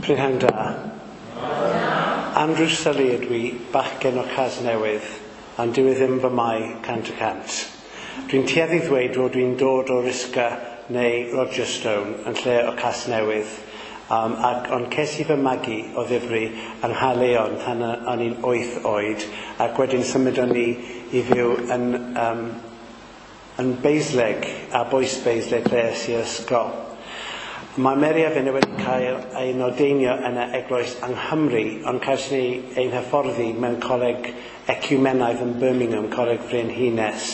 Prynhawn da. Andrew Sully ydw i, bachgen o Casnewydd, ond dyw e ddim fy mai 100%. Dwi'n tueddu ddweud fod dwi'n dod o Risca neu Rogerstone yn lle o Casnewydd, ac, ond ces i fy magu o ddifri yng Nghaerleon pan o'n i'n 8 oed, ac wedyn symudon ni i fyw yn Basleg, a Bois Basleg lle es i'r ysgol. Mae Mary a finne wedi cael ein ordeinio yn y eglwys yng Nghymru, ond cawson ni ein hyfforddi mewn coleg eciwmenaidd yn Birmingham, Coleg Frenhines.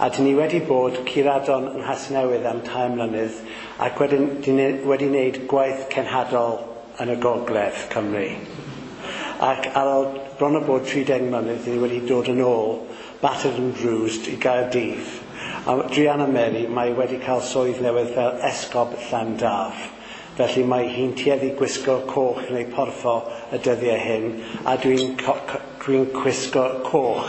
A dyn ni wedi bod curadon yng Nghasnewydd am 3 mlynedd, ac wedyn dyn ni wedi wneud gwaith cenhadol yn y gogledd Cymru. Ac ar ôl bron o bod 30 mlynedd, dyn ni wedi dod yn ôl, battered and bruised, i Gaerdydd. A druan â Mary, mae wedi cael swydd newydd fel Esgob Llandaf. Felly mae hi'n tueddu gwisgo coch neu porffor y dyddiau hyn, a dwi'n gwisgo coch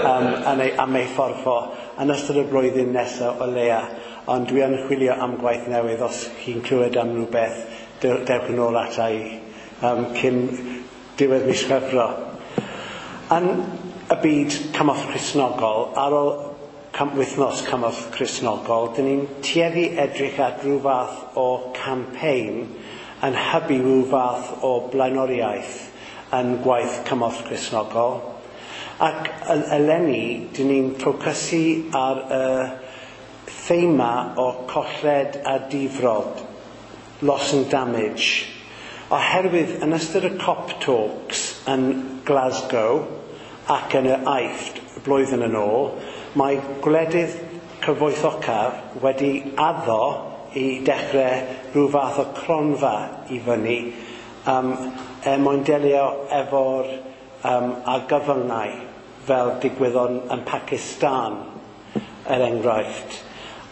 am ei phorffor yn ystod y blwyddyn nesaf o leia. Ond dwi yn chwilio am gwaith newydd. Os chi'n clywed am rhywbeth, dewch yn ôl ata i cyn diwedd mis Chwefror. Yn y byd cymorth Cristnogol, ar ôl wythnos cymorth Cristnogol, dyn ni'n tueddu edrych at rhyw fath o campaign yn hybu rhyw fath o blaenoriaeth yn gwaith cymorth Cristnogol. Ac eleni, dyn ni'n ffocysu ar y thema o colled a difrod, loss and damage. Oherwydd yn ystod y COP Talks yn Glasgow ac yn y Aifft blwyddyn yn ôl, mae gwledydd cyfoethocaf wedi addo i dechrau rhyw fath o cronfa i fyny er mwyn delio efo'r argyfyngau fel digwyddodd yn Pakistan, er enghraifft,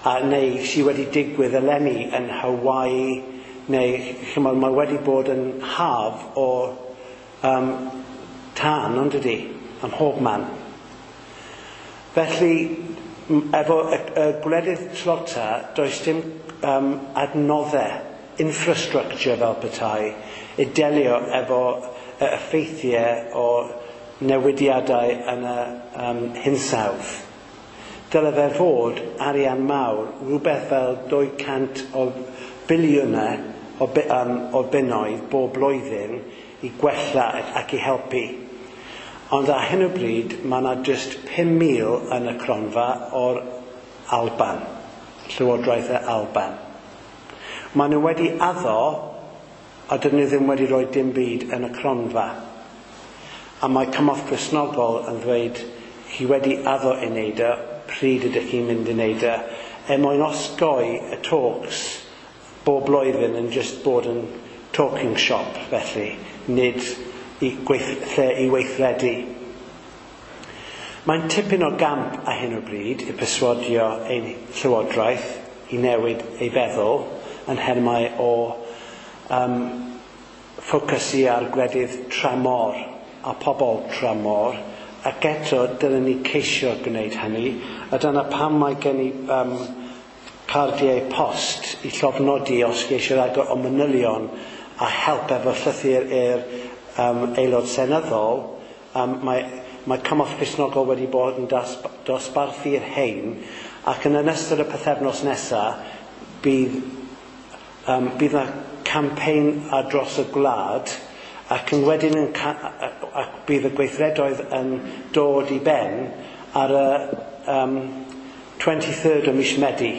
a neu sydd wedi digwydd eleni yn Hawaii, neu chymod, mae wedi bod yn haf o tân, ond ydy, ym mhob man. Felly, efo y gwledydd tlota, does dim adnoddau, infrastructure fel petai, i delio efo y effeithiau o newidiadau yn y hinsawdd. Dyle fe fod arian mawr, rhywbeth fel 200 o biliynau o bunnoedd bob blwyddyn i gwella ac i helpu. Ond ar hyn o bryd, mae yna jyst 5,000 yn y cronfa o'r Alban, Llywodraeth y Alban. Maen nhw wedi addo, a dyn nhw ddim wedi rhoi dim byd yn y cronfa. A mae Cymorth Cristnogol yn dweud, chi wedi addo i wneud e, pryd ydych chi'n mynd i wneud e, er mwyn osgoi y talks bob blwyddyn yn just bod yn talking shop, felly, nid lle i weithredu. Mae'n tipyn o gamp ar hyn o bryd i perswadio ein llywodraeth i newid ei feddwl yn nhermau o ffocysu ar gwledydd tramor a pobl tramor, ac eto dylen ni ceisio gwneud hynny, a dyna pam mae gen i cardiau post i llofnodi os chi eisiau rhagor o manylion a help efo llythyr i'r aelod seneddol. Mae Cymorth Cristnogol wedi bod yn dosbarthu'r hein, ac yn ystod y pythefnos nesaf bydd yna campaign ar dros y gwlad, ac yn wedyn ac bydd y gweithredoedd yn dod i ben ar y 23rd o mis Medi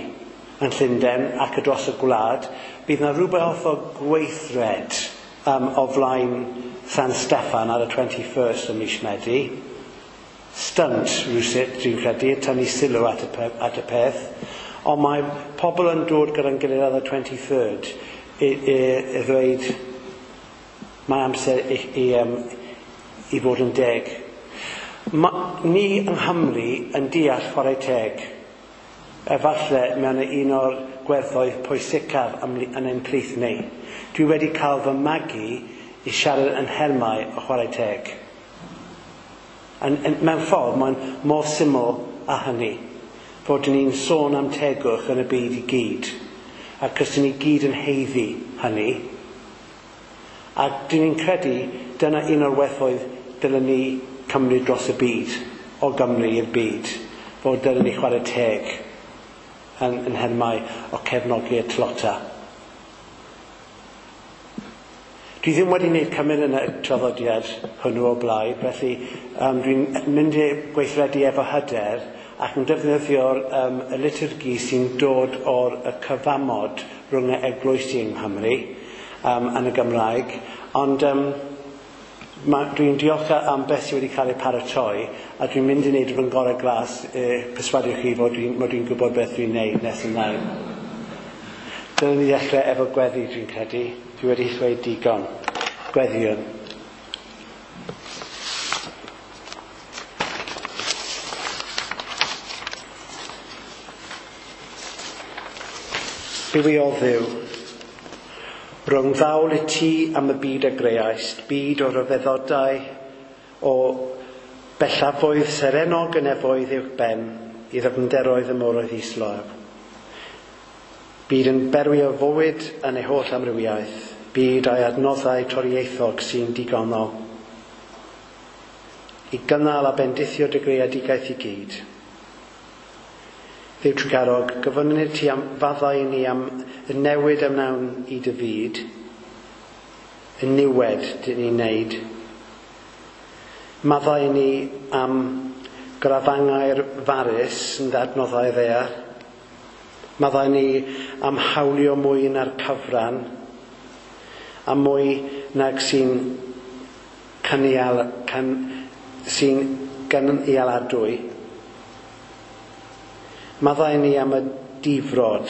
yn Llundain ac ar dros y gwlad. Bydd yna rhywbeth o gweithred o flaen San Steffan ar y 21st o mis Medi. Stunt rhywsut, dwi'n credu, tynnu sylw at y peth. Ond mae pobl yn dod gyda'n gilydd ar y 23rd i ddweud mae amser i fod yn deg. Ni yng Nghymru yn deall chwarae teg. Efallai mewn un o'r gwerthoedd pwysicaf yn ein plith ni. Dwi wedi cael fy magu i siarad yn nhermau o chwarae teg. Mewn ffordd, mae'n mor syml â hynny. Fod ni'n sôn am tegwch yn y byd i gyd. Ac os ni gyd yn haeddu hynny. A dyn ni'n credu dyna un o'r werthoedd dylen ni cymryd dros y byd, o Gymru i'r byd, fod dylen ni chwarae teg yn nhermau o cefnogi y tlota. Dwi ddim wedi wneud cymryd yn y traddodiad hwnnw o blaid, felly dwi'n mynd i gweithredu efo hyder ac yn defnyddio'r y liturgy sy'n dod o'r y cyfamod rhwng y eglwysi yng Nghymru yn y Gymraeg, ond dwi'n diolch am beth sydd wedi cael ei paratoi, a dwi'n mynd i wneud fy ngorau glas perswadio chi fod dwi'n gwybod beth dwi'n wneud nes ymlaen. Dylen ni ddechrau efo gweddi, dwi'n credu. Dwi wedi ddweud digon. Gweddïwn. Bywiol Dduw, rhwng ddawl i ti am y byd a greaist, byd o ryfeddodau, o bellafoedd serennog y nefoedd uwch ben, i ddyfnderoedd y moroedd islaw. Byd yn berwi o fywyd yn ei holl amrywiaeth, byd a'i adnoddau torieithog sy'n digonol, i gynnal a bendithio dy greadigaeth i gyd. Dduw trugarog, gofynnir ti am faddau i ni am y newid a wnawn i dy fyd, y niwed dyn ni'n neud. Maddau i ni am grafangau'r farus yn adnoddau ddaear. Maddau ni am hawlio mwy na'r cyfran, a mwy nag sy'n gynialadwy. Maddau ni am y difrod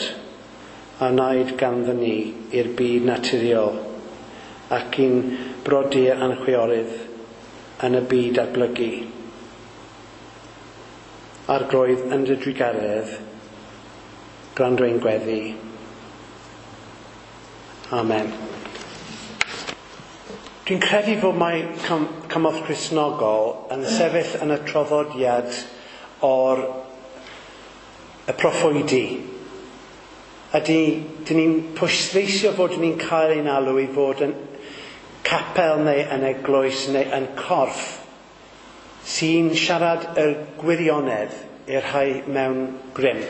a wnaed ganddo ni i'r byd naturiol ac i'n brodyr a'n chwiorydd yn y byd datblygu. Arglwydd, yn dy drugaredd, gwrando ein gweddi. Amen. Dwi'n credu fod mae Cymorth Cristnogol yn sefyll yn y traddodiad o'r y proffwydi. A dyn ni'n pwysleisio fod ni'n cael ein alw i fod yn capel neu yn eglwys neu yn corff sy'n siarad y gwirionedd i'r rhai mewn grym,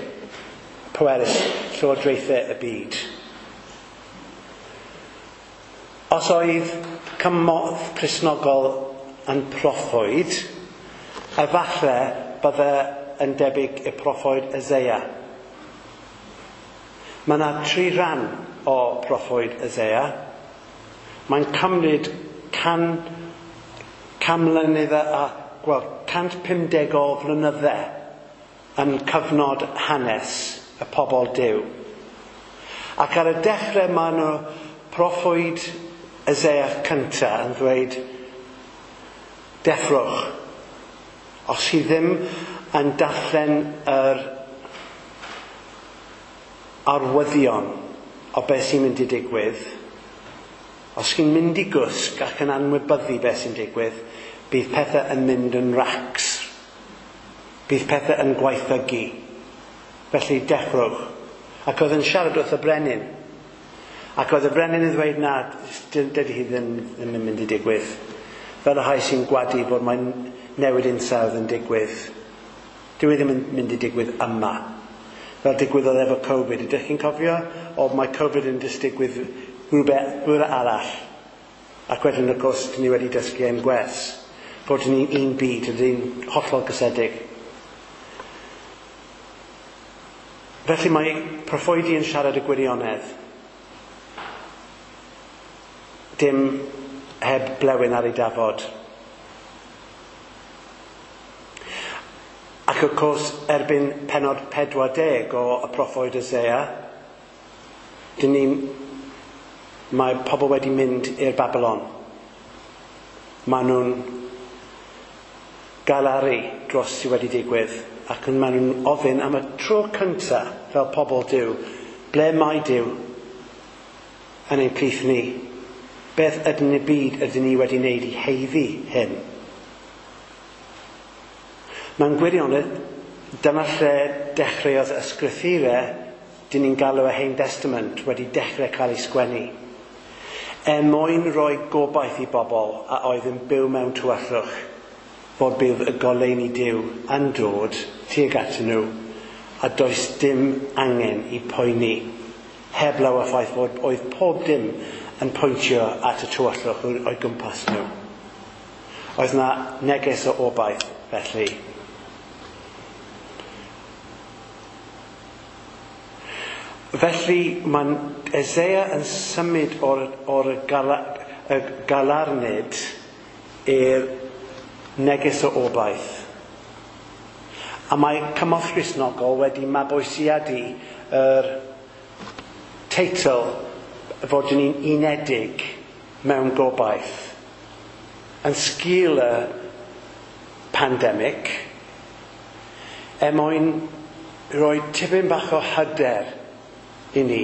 pwerus llywodraethau y byd. Os oedd Cymorth Cristnogol yn proffwyd, efallai bydde yn debyg i'r proffwyd Eseia. Mae yna tri rhan o proffwyd Eseia. Mae'n cymryd 150 o flynydde yn cyfnod hanes y pobl Duw. Ac ar y dechrau mae nhw proffwyd Eseia cyntaf yn ddweud, deffrwch. Os chi ddim yn darllen yr arwyddion o beth sy'n mynd i digwydd, os chi'n mynd i gwsg ac yn anwybyddu beth sy'n digwydd, bydd pethau yn mynd yn racs. Bydd pethau yn gwaethygu. Felly deffrwch. Ac oedd yn siarad wrth y brenin. Ac oedd y brenin yn ddweud, na, dydy hi ddim yn mynd i digwydd. Fel y rhai sy'n gwadu bod mae'n newid hinsawdd yn digwydd. Dyw e ddim yn mynd i digwydd yma. Fel digwyddodd efo Covid. Ydych chi'n cofio? O, mae Covid yn just digwydd rhywbeth arall. Ac wedyn, wrth gwrs, dyn ni wedi dysgu ein gwers. Bod ni un byd, ydyn ni'n hollol gysedig. Felly mae proffwydi yn siarad y gwirionedd. Dim heb blewyn ar ei dafod. Ac wrth gwrs, erbyn pennod 40 o y proffwyd Eseia, mae pobl wedi mynd i'r Babylon. Maen nhw'n galaru dros sydd wedi digwydd, ac maen nhw'n ofyn am y tro cyntaf fel pobl Duw, ble mae Duw yn ein plith ni? Beth ydyn ni byd ydyn ni wedi wneud i heiddi hyn? Mewn gwirionedd, dyma lle dechreuodd y sgrythurau dyn ni'n galw y Hen Testament wedi dechrau cael ei sgwennu. Er mwyn rhoi gobaith i bobl a oedd yn byw mewn tywyllwch, fod bydd y goleuni Duw yn dod tuag atyn nhw, a does dim angen i poeni, heblaw y ffaith fod oedd pob dim yn pwyntio at y tywyllwch o'i gwmpas nhw. Oedd na neges o obaith, felly. Felly mae Eseia yn symud o'r y galarnid i'r neges o obaith. A mae Cymorth Gristnogol wedi mabwysiadu yr teitl fod ni'n unedig mewn gobaith. Yn sgil y pandemig, er mwyn rhoi tipyn bach o hyder i ni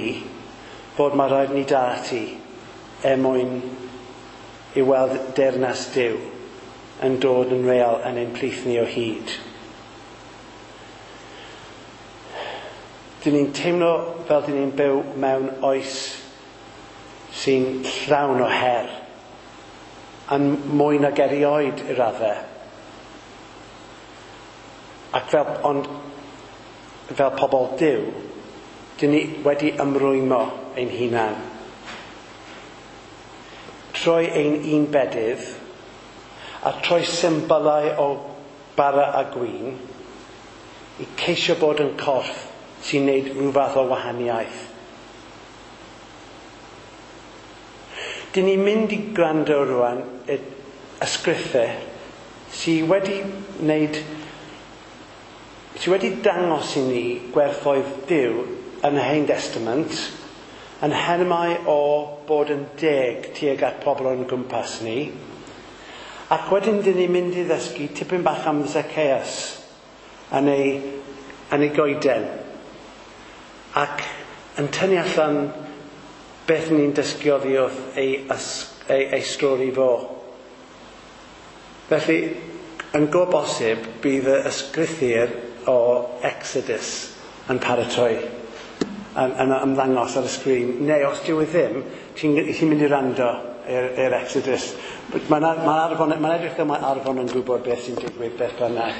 fod mae rhaid ni dal ati er mwyn i weld deyrnas Duw yn dod yn real yn ein plith ni o hyd. Dyn ni'n teimlo fel dyn ni'n byw mewn oes sy'n llawn o her, yn mwy nag erioed i raddau. Ac ond fel pobl Duw, dyn ni wedi ymrwymo ein hunan. Troi ein un bedydd, a troi symbylau o bara a gwin, i ceisio bod yn corff sy'n neud rhyw fath o wahaniaeth. Dyn ni'n mynd i gwrando rwan y ysgrythau sydd wedi wneud, sydd wedi dangos i ni gwerthoedd Duw yn y Hen Testament, yn henmau o bod yn deg tuag at pobl o'n gwmpas ni. Ac wedyn dyn ni'n mynd i ddysgu tipyn bach am Zacchaeus yn ei goeden. Ac yn tynnu allan beth ni'n dysgu oddi wrth ei stori fo. Felly, yn go bosib, bydd y ysgrythur o Exodus yn paratoi yn ymddangos ar y sgrin. Neu os dyw e ddim, ti'n mynd i rando i'r Exodus. Mae'n edrych fel mae Arfon yn gwybod beth sy'n digwydd beth bynnag.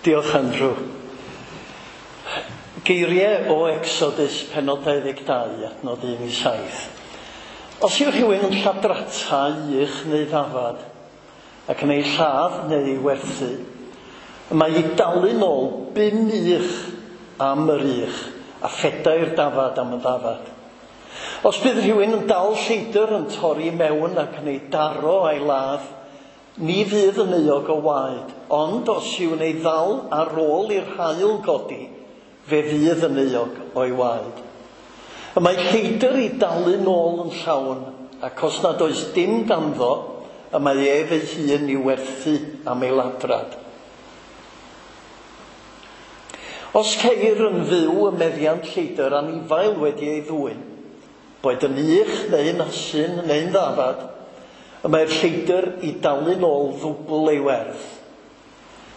Diolch, Andrew. Geiriau o Exodus pennod 22, adnod 1-7. Os yw rhywun yn lladrata ych neu ddafad, ac yn ei lladd neu ei werthu, mae ei dalu nôl 5 ych am yr ych, a 4 dafad am y ddafad. Os bydd rhywun yn dal lleidr yn torri mewn ac yn ei daro a'i ladd, ni fydd yn euog o waed, ond os yw'n ei ddal ar ôl i'r haul godi, fe fydd yn euog o'i waed. Y mae lleidr i dalu nôl yn llawn, ac os nad oes dim ganddo, y mae ef ei hun i'w werthu am ei ladrad. Os ceir yn fyw y meddiant lleidr anifail wedi ei ddwyn, boed yn ych neu'n asyn neu'n ddafad, y mae'r lleidr i dalu nôl ddwbl ei werth.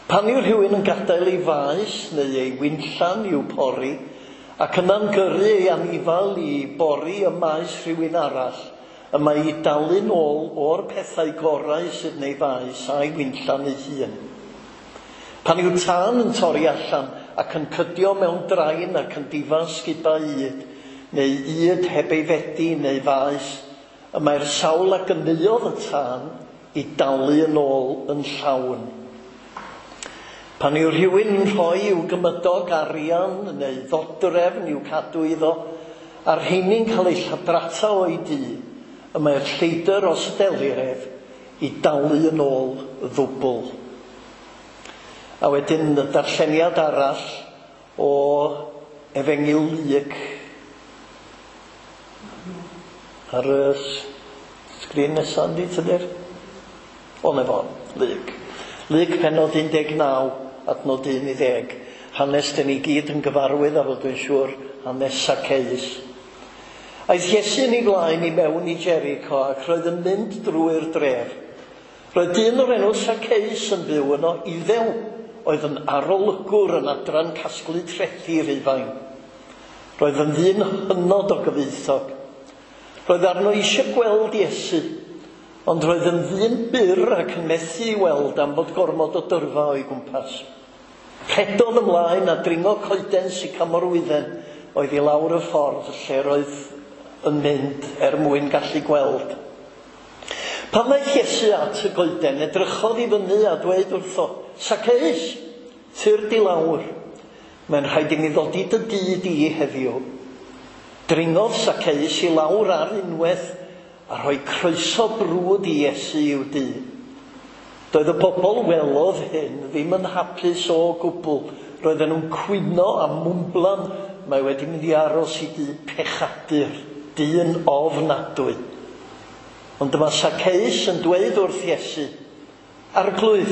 Pan yw rhywun yn gadael ei faes neu ei winllan i'w pori, ac yna'n gyrru ei anifail i bori y maes rhywun arall, y mae i dalu nôl o'r pethau gorau sydd yn ei faes a'i winllan ei hun. Pan yw tân yn torri allan ac yn cydio mewn drain ac yn difa sgubau ŷd, neu ŷd heb ei fedi neu faes, y mae'r sawl a gyneuodd y tân i dalu yn ôl yn llawn. Pan yw rhywun yn rhoi i'w gymydog arian neu ddodrefn i'w cadw iddo, a'r rheini'n cael eu lladrata o'i dŷ, y mae'r lleidr os delir ef i dalu yn ôl ddwbl. A wedyn y darlleniad arall o Efengyl Luc ar y sgrin nesaf, yndi, Tudur? O, na fo, Luc. Luc pennod 19, adnod 1-10. Hanes dyn ni gyd yn gyfarwydd, a fod dwi'n siŵr, hanes Zacchaeus. Aeth Iesu yn ei flaen i mewn i Jericho ac roedd yn mynd drwy'r dref. Roedd dyn o'r enw Zacchaeus yn byw yno, Iddew, oedd yn arolygwr yn adran casglu trethi Rhufain. Roedd yn ddyn hynod o gyfoethog. Roedd arno eisiau gweld Iesu, ond roedd yn ddyn byr ac yn methu i weld am fod gormod o dyrfa o'i gwmpas. Rhedodd ymlaen a dringo coeden sycamorwydden oedd i lawr y ffordd lle roedd yn mynd er mwyn gallu gweld. Pan ddaeth Iesu at y goeden, edrychodd i fyny a dweud wrtho, Saceus, tyrd i lawr. Mae'n rhaid i mi ddod i dy dŷ di heddiw. Dringodd Saceus i lawr ar unwaith a rhoi croeso brwd i Iesu i'w dŷ. Doedd y bobl welodd hyn ddim yn hapus o gwbl. Roedden nhw'n cwyno a mwmblan, mae wedi mynd i aros i dŷ pechadur, dyn ofnadwy. Ond dyma Saceus yn dweud wrth Iesu, Arglwydd,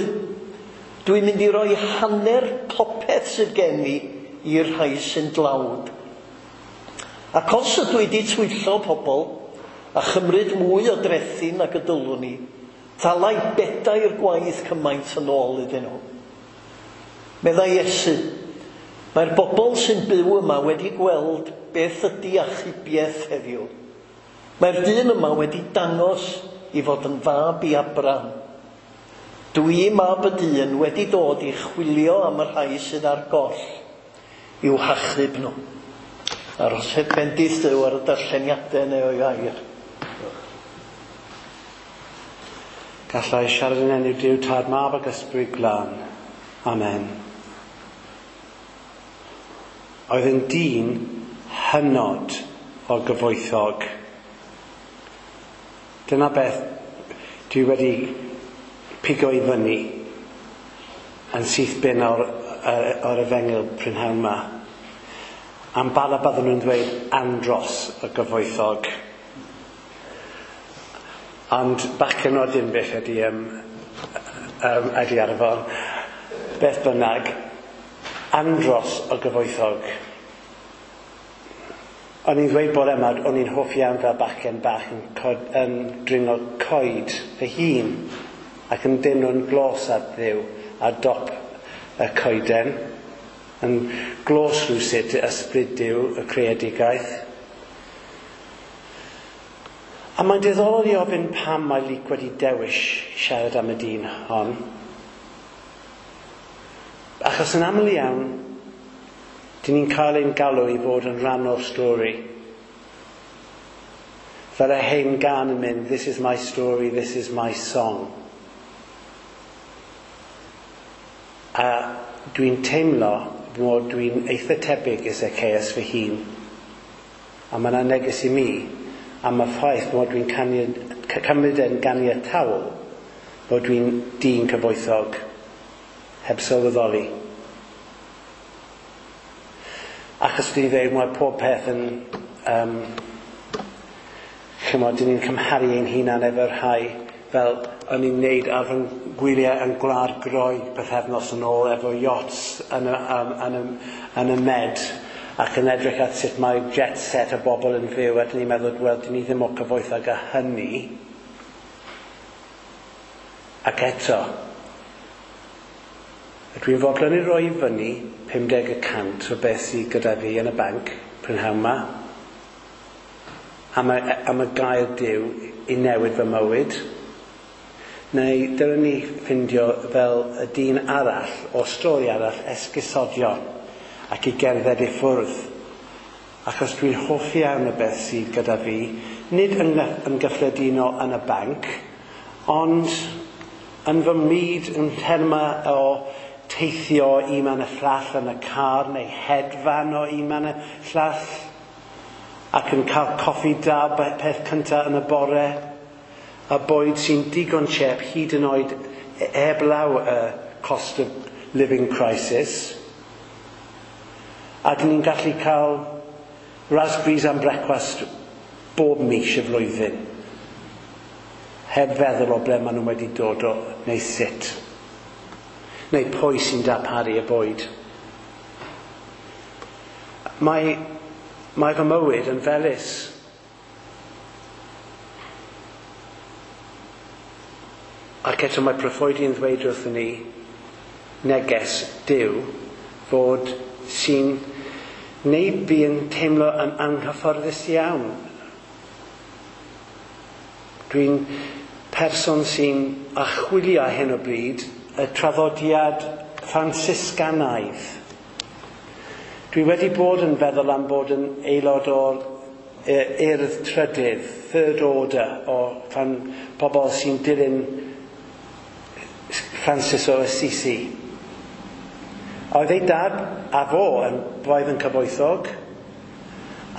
dwi'n mynd i roi hanner popeth sydd gen i i'r rhai sy'n dlawd. Ac os ydw i wedi twyllo pobl a chymryd mwy o drethi nag y dylwn i, thalai bedair gwaith cymaint yn ôl iddyn nhw. Meddai Iesu, mae'r bobl sy'n byw yma wedi gweld beth ydy achubiaeth heddiw. Mae'r dyn yma wedi dangos i fod yn fab i Abraham. Dwi, mab y dyn, wedi dod i chwilio am y rhai sydd ar goll i'w hachub nhw. Arhosed bendith Duw ar y darlleniadau neu o'i air. Gallai siarad yn enw Duw Tad Mab ac Ysbryd Glân. Amen. Oedd yn dyn hynod o gyfoethog. Dyna beth dwi wedi pigo i fyny yn syth bin o'r efengyl prynhawn yma. Am bala byddwn nhw'n dweud andros y gyfoethog. Ond bachgen o Dinbych ydy, ydy Arfon. Beth bynnag, andros o gyfoethog. O'n i'n dweud bore yma, o'n i'n hoff iawn fel bachgen bach yn dringo coed fy hun ac yn deimlo'n glos at Dduw ar dop y coeden, yn glos rhywsut i ysbryd Duw, y creadigaeth. A mae'n diddorol i ofyn pam mae Luc wedi dewis siarad am y dyn hon. Achos yn aml iawn, dyn ni'n cael ein galw i fod yn rhan o'r stori. Fel y hen gân yn mynd, this is my story, this is my song. A dwi'n teimlo bod dwi'n eitha tebyg i Zacchaeus fy hun. A mae yna neges i mi am y ffaith bod dwi'n cymryd yn ganiataol bod dwi'n dyn cyfoethog heb sylweddoli. Achos dwi'n dweud mae pob peth yn chymod, dyn ni'n cymharu ein hunan efo'r rhai fel o'n i'n neud ar fy ngwyliau yn Gwlad Groeg pythefnos yn ôl efo yachts yn y Med ac yn edrych at sut mae jet set y bobl yn fyw a dyn ni'n meddwl, wel, dyn ni ddim mor cyfoethog â hynny. Ac eto, dwi'n fodlon i roi i fyny 50% o beth sydd gyda fi yn y banc prynhawn yma am y gair Duw i newid fy mywyd. Neu dylen ni ffindio fel y dyn arall o stori arall esgusodion ac i gerdded i ffwrdd. Achos dwi'n hoffi iawn y beth sydd gyda fi, nid yn gyffredinol yn y banc, ond yn fy myd yn termau o teithio un man y llall yn y car neu hedfan o un man y llall ac yn cael coffi da peth cyntaf yn y bore a bwyd sy'n digon chep hyd yn oed heblaw y cost of living crisis. A dyn ni'n gallu cael raspberries am brecwast bob mis y flwyddyn heb feddwl o ble maen nhw wedi dod o neu sut. Neu pwy sy'n darparu y bwyd. Mae fy mywyd yn felys. Ac eto mae proffwydi'n ddweud wrthyn ni neges Duw fod sy'n neud fi yn teimlo yn anghyfforddus iawn. Dwi'n person sy'n archwilio ar hyn o bryd y traddodiad Ffransiscanaidd. Dwi wedi bod yn feddwl am bod yn aelod o'r urdd trydydd, third order, o pobl sy'n dilyn Francis o Assisi. Oedd ei dad a fo yn braidd yn cyfoethog,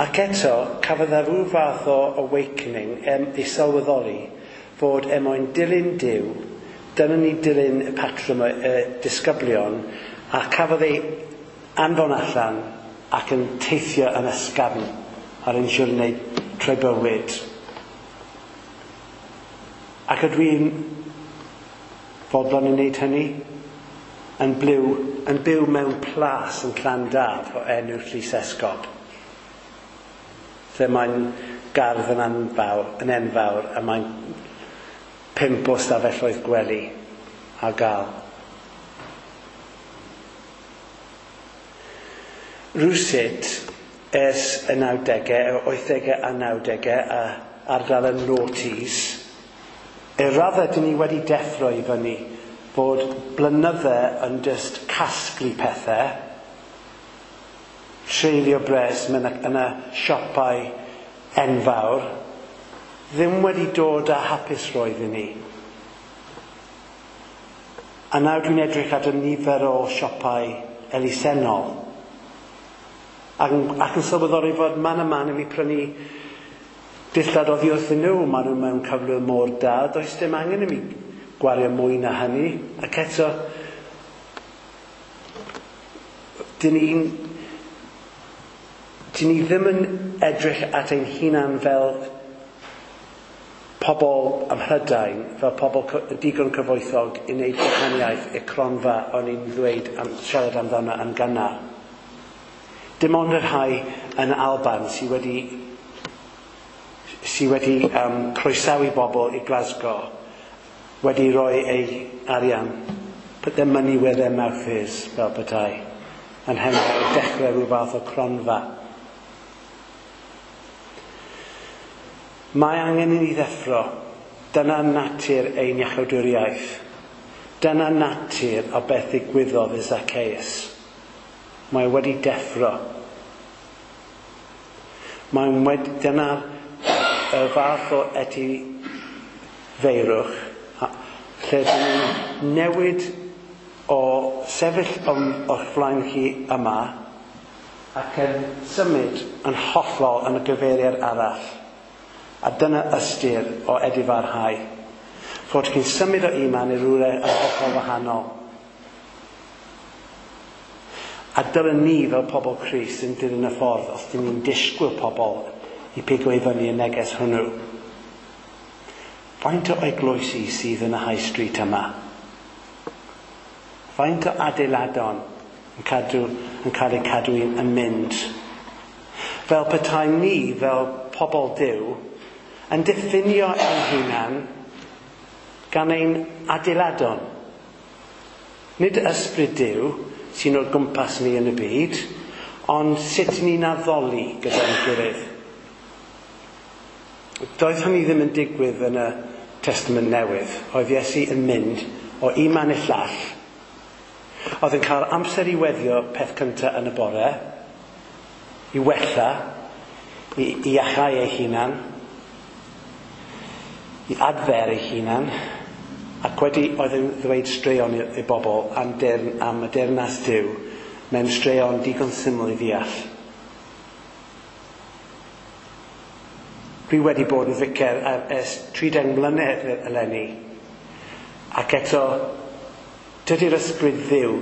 ac eto cafodd e rhyw fath o awakening i sylweddoli fod er mwyn dilyn Duw, dyna ni dilyn y patrwm y disgyblion, a cafodd ei anfon allan ac yn teithio yn ysgafn ar ein siwrnai trwy bywyd. Ac ydw i'n fodlon i wneud hynny? Yn byw mewn plas yn Llandaf o enw Llys Esgob. Lle mae'n gardd yn enfawr a mae'n 5 o stafelloedd gwely ar gael. Rywsut, ers y 90au, y 80au a 90au, a ardal y noughties, y raddau dyn ni wedi deffro i fyny fod blynydde yn just casglu pethau, treulio bres mewn yn y siopau enfawr, ddim wedi dod â hapusrwydd i ni. A nawr dwi'n edrych at y nifer o siopau elusennol ac yn sylweddoli fod man a man i mi prynu dillad oddi wrthyn nhw, maen nhw mewn cyflwr mor da, does dim angen i mi gwario mwy na hynny. Ac eto, dyn ni ddim yn edrych at ein hunan fel pobl ym Mhrydain, fel pobl digon cyfoethog i wneud gwahaniaeth y cronfa o'n i'n ddweud am, siarad amdano yn gynnar. Dim ond y rhai yn Alban sydd wedi croesawu bobl i Glasgow wedi rhoi ei arian, put their money where their mouth is, fel petai, yn hynny i dechrau rhyw fath o cronfa. Mae angen i ni ddeffro. Dyna natur ein iachawdwriaeth. Dyna natur o beth ddigwyddodd i Zacchaeus. Mae wedi deffro. Dyna'r y fath o etifeirwch lle dyn ni'n newid o sefyll o'ch flaen chi yma ac yn symud yn hollol yn y gyfeiriad arall. A dyna ystyr o edifarhau. Fod chi'n symud o un man i rywle yn hollol wahanol. A dyna ni fel pobl Crist yn dilyn y ffordd os dyn ni'n disgwyl pobl i pigo i fyny y neges hwnnw. Faint o eglwysi sydd yn y High Street yma? Faint o adeiladon yn cael eu cadw yn mynd? Fel petai ni, fel pobl Duw, yn diffinio ein hunan gan ein adeiladon. Nid ysbryd Duw sy'n o'r gwmpas ni yn y byd, ond sut ni'n addoli gyda'n gilydd. Doedd hynny ddim yn digwydd yn y Testament Newydd. Oedd Iesu yn mynd o un man i'r llall. Oedd yn cael amser i weddio peth cyntaf yn y bore, i wella, i iachau ei hunan, i adfer ei hunan, ac wedi oedd yn ddweud straeon i bobl am y deyrnas Duw mewn straeon digon syml i ddeall. Dwi wedi bod yn ficer ers 30 mlynedd eleni, ac eto dydy'r ysbryd Dduw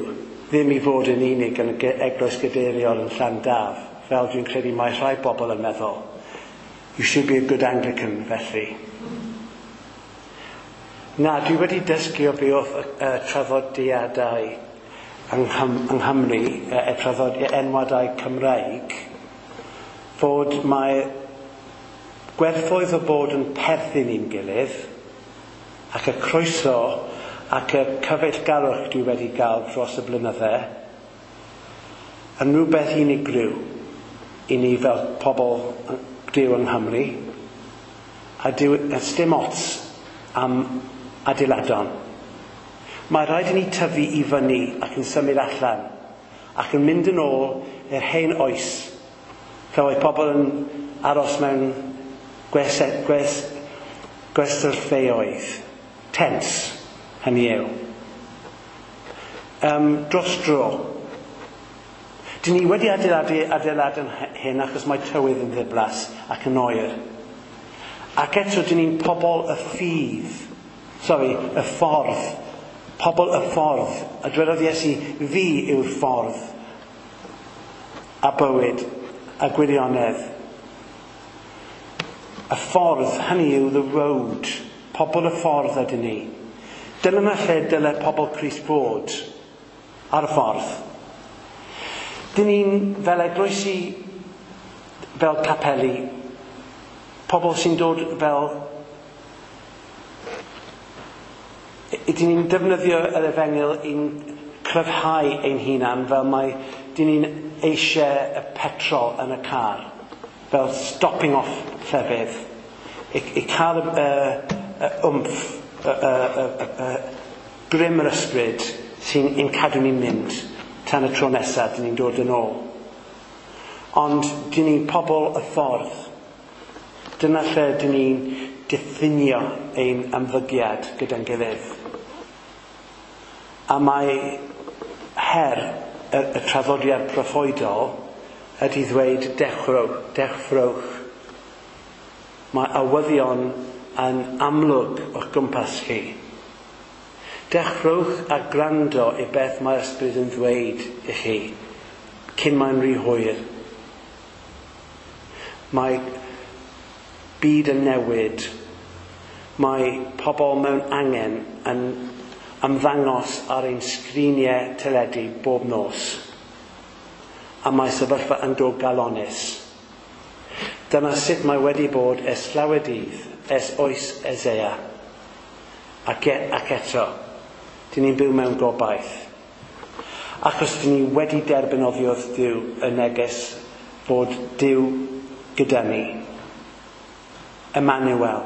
ddim i fod yn unig yn y eglwys gadeiriol yn Llandaf, fel dwi'n credu mae rhai bobl yn meddwl. You should be a good Anglican, felly. Na, dwi wedi dysgu o beth y traddodiadau yng Nghymru, y traddodiadau enwadau Cymraeg, fod mae gwerthoedd o bod yn perthyn i'n gilydd, ac y croeso ac y cyfeillgarwch dwi wedi gael dros y blynydde, yn rhywbeth unigryw i ni fel pobl Duw yng Nghymru, A dyw, a dim ots am adeiladon. Mae rhaid i ni tyfu i fyny ac yn symud allan ac yn mynd yn ôl i'r hen oes lle oedd pobl yn aros mewn gwestyllfeoedd, tents, hynny yw. Dros dro. Dyn ni wedi adeiladu adeilad yn hyn achos mae tywydd yn ddiflas ac yn oer. Ac eto, dyn ni'n pobl y ffydd. Sorry, y ffordd. Pobl y ffordd. A dwedodd Iesu, "Fi yw'r ffordd a bywyd a gwirionedd." Y ffordd, hynny yw the road. Pobl y ffordd ydyn ni. Dyna yma lle dyle pobl Crist fod. Ar y ffordd. Dyn ni'n fel eglwysi, fel capeli, pobl sy'n dod fel. Dyn ni'n defnyddio yr efengyl i'n cryfhau ein hunan fel mae dyn ni'n eisiau y petrol yn y car. Fel stopping off llefydd. I cael y oomph, y grym yr ysbryd sy'n ein cadw ni'n mynd tan y tro nesaf dyn ni'n dod yn ôl. Ond dyn ni'n pobl y ffordd. Dyna lle dyn ni'n diffinio ein ymddygiad gyda'n gilydd. A mae her y traddodiad proffwydol ydy ddweud dechrwch, dechrwch. Mae arwyddion yn amlwg o'ch gwmpas chi. Dechrwch a gwrando i beth mae'r ysbryd yn ddweud i chi cyn mae'n rhy hwyr. Mae byd yn newid. Mae pobl mewn angen yn ymddangos ar ein sgriniau teledu bob nos. A mae sefyllfa yn dod galonus. Dyna sut mae wedi bod ers llawer dydd, ers oes Eseia. Ac eto, dyn ni'n byw mewn gobaith. Achos dyn ni wedi derbyn oddi wrth Duw y neges fod Duw gyda ni. Emmanuel.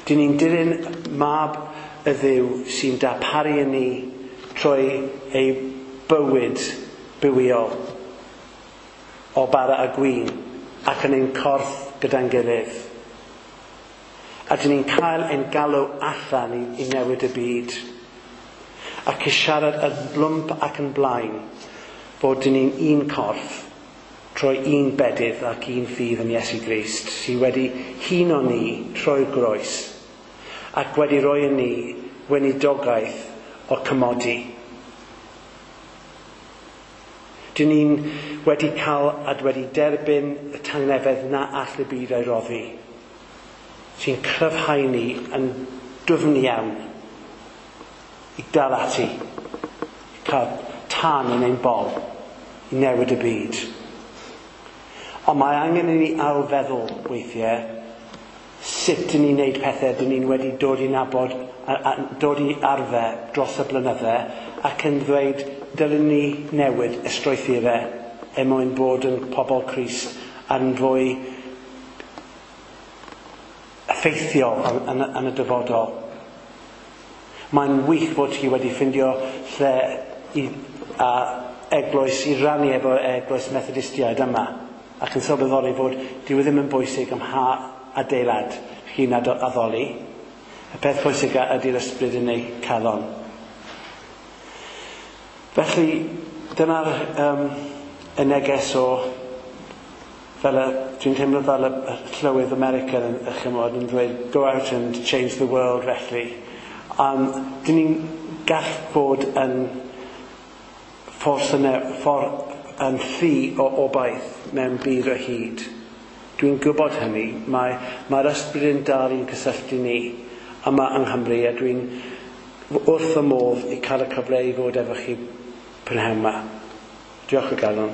Dyn ni'n dilyn mab y Dduw sy'n darparu i ni trwy ei bywyd bywiol o bara a gwin ac yn ein corff gyda'n gilydd. A dyn ni'n cael ein galw allan i newid y byd. Ac i siarad yn blwmp ac yn blaen bod dyn ni'n un corff trwy un bedydd ac un ffydd yn Iesu Grist sydd wedi huno ni trwy'r groes ac wedi rhoi i ni weinidogaeth o cymodi. Dyn ni'n wedi cael a wedi derbyn y tangnefedd na all y byd ei roddi, sy'n cryfhau ni yn dwfn iawn i dal ati, i cael tân yn ein bol, i newid y byd. Ond mae angen i ni ailfeddwl weithiau sut dyn ni'n neud pethau dyn ni'n wedi dod i nabod a dod i arfer dros y blynydde ac yn ddweud dylen ni newid y strwythurau er mwyn bod yn pobl Crist a'n fwy effeithiol yn y dyfodol. Mae'n wych fod chi wedi ffindio lle i, a eglwys i rannu efo eglwys Methodistiaid yma ac yn sylweddoli fod dyw e ddim yn bwysig ym mha adeilad chi'n addoli. Y peth pwysig ydy'r ysbryd yn ei calon. Felly, dyna'r y neges o fel y, dwi'n teimlo fel y llywydd America yn, chymod, yn dweud "Go out and change the world" felly. Dyn ni'n gall bod yn ffordd yn, ffordd yn llu o obaith mewn byd o hyd. Dwi'n gwybod hynny. Mae'r ysbryd yn dal i'n cysylltu ni yma yng Nghymru a dwi'n wrth y modd i cael y cyfle i fod efo chi prynhawn yma. Diolch o galon.